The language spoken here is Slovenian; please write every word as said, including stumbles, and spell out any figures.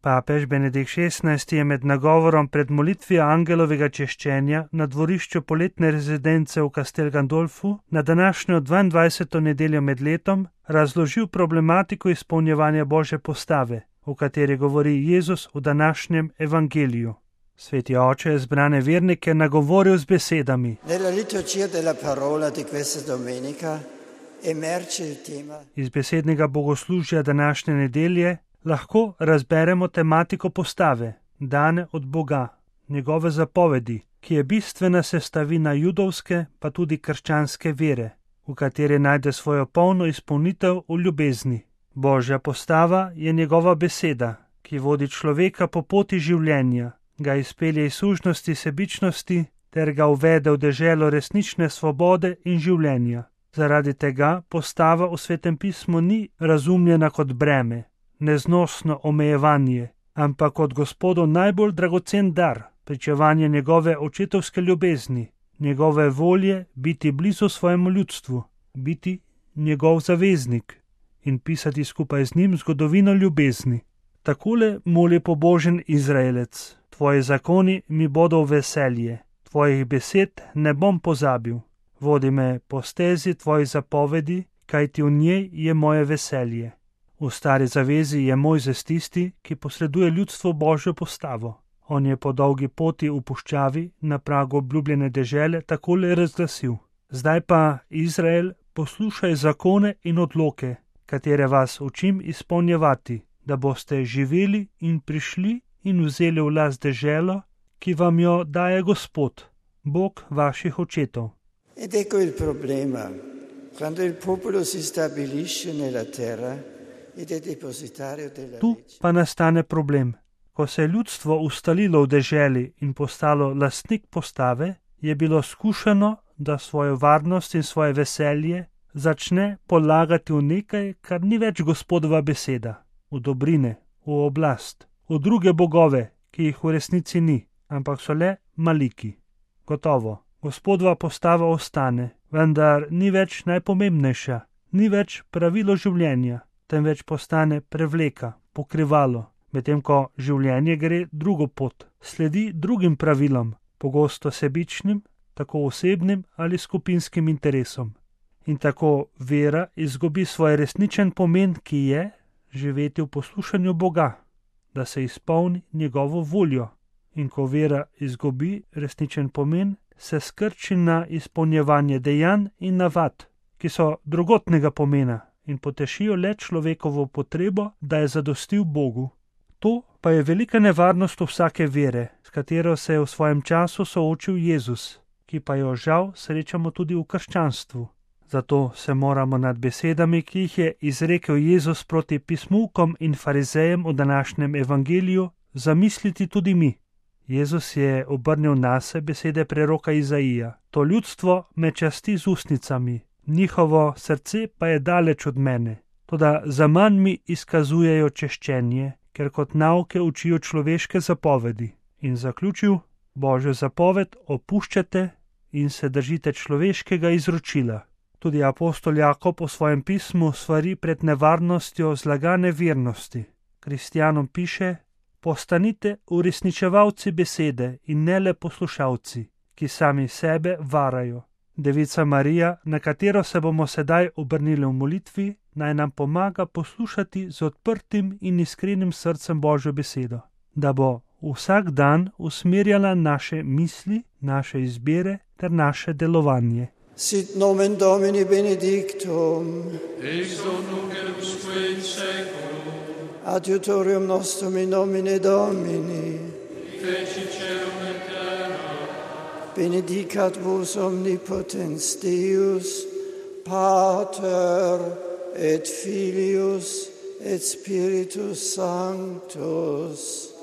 Papež Benedikt šestnajsti je med nagovorom pred molitvijo angelovega češčenja na dvorišču poletne rezidence v Castel Gandolfu na današnjo dvaindvajseto nedeljo med letom razložil problematiko izpolnjevanja Božje postave, o kateri govori Jezus v današnjem evangeliju. Sveti oče je zbrane vernike nagovoril z besedami. Iz besednega bogoslužja današnje nedelje lahko razberemo tematiko postave, dane od Boga, njegove zapovedi, ki je bistvena sestavina judovske pa tudi krščanske vere, v kateri najde svojo polno izpolnitev v ljubezni. Božja postava je njegova beseda, ki vodi človeka po poti življenja, ga izpelje iz sužnosti sebičnosti ter ga uvede v deželo resnične svobode in življenja. Zaradi tega postava v Svetem pismu ni razumljena kot breme, neznosno omejevanje, ampak kot Gospodov najbolj dragocen dar, pričevanje njegove očetovske ljubezni, njegove volje biti blizu svojemu ljudstvu, biti njegov zaveznik in pisati skupaj z njim zgodovino ljubezni. Takole moli pobožen Izraelec: Tvoji zakoni mi bodo v veselje, tvojih besed ne bom pozabil. Vodi me po stezi tvojih zapovedi, kajti v njej je moje veselje. V stari zavezi je Mojzes tisti, ki posreduje ljudstvu Božjo postavo. On je po dolgi poti v puščavi na pragu obljubljene dežele takole razglasil: Zdaj pa, Izrael, poslušaj zakone in odloke, katere vas učim izpolnjevati, da boste živeli in prišli in vzeli v last deželo, ki vam jo daje Gospod, Bog vaših očetov. Ed ecco il problema. Quando il popolo si stabilisce nella terra ed è depositario della Tu pa nastane problem. Ko se je ljudstvo ustalilo v deželi in postalo lastnik postave, je bilo skušano, da svojo varnost in svoje veselje začne polagati v nekaj, kar ni več Gospodova beseda, v dobrine, v oblast, v druge bogove, ki jih v resnici ni, ampak so le maliki. Gotovo, Gospodova postava ostane, vendar ni več najpomembnejša, ni več pravilo življenja, temveč postane prevleka, pokrivalo, medtem ko življenje gre drugo pot, sledi drugim pravilom, pogosto sebičnim, tako osebnim ali skupinskim interesom. In tako vera izgubi svoj resničen pomen, ki je živeti v poslušanju Boga, da se izpolni njegovo voljo. In ko vera izgubi resničen pomen, se skrči na izpolnjevanje dejanj in navad, ki so drugotnega pomena in potešijo le človekovo potrebo, da je zadostil Bogu. To pa je velika nevarnost vsake vere, s katero se je v svojem času soočil Jezus, ki pa jo žal srečamo tudi v krščanstvu. Zato se moramo nad besedami, ki jih je izrekel Jezus proti pismuvkom in farizejem v današnjem evangeliju, zamisliti tudi mi. Jezus je obrnil nase besede preroka Izaija: To ljudstvo me časti z ustnicami, njihovo srce pa je daleč od mene, toda zaman mi izkazujejo češčenje, ker kot nauke učijo človeške zapovedi. In zaključil: Božjo zapoved opuščate in se držite človeškega izročila. Tudi apostol Jakob v svojem pismu svari pred nevarnostjo zlagane vernosti. Kristjanom piše: Postanite uresničevalci besede in ne le poslušalci, ki sami sebe varajo. Devica Marija, na katero se bomo sedaj obrnili v molitvi, naj nam pomaga poslušati z odprtim in iskrenim srcem Božjo besedo, da bo vsak dan usmerjala naše misli, naše izbire ter naše delovanje. Sit nomen Domini benedictum, ex hoc nunc et usque in saeculum, adiutorium nostrum in nomine Domini, feci caelum et terra, benedicat vos omnipotens Deus, Pater et Filius et Spiritus Sanctus.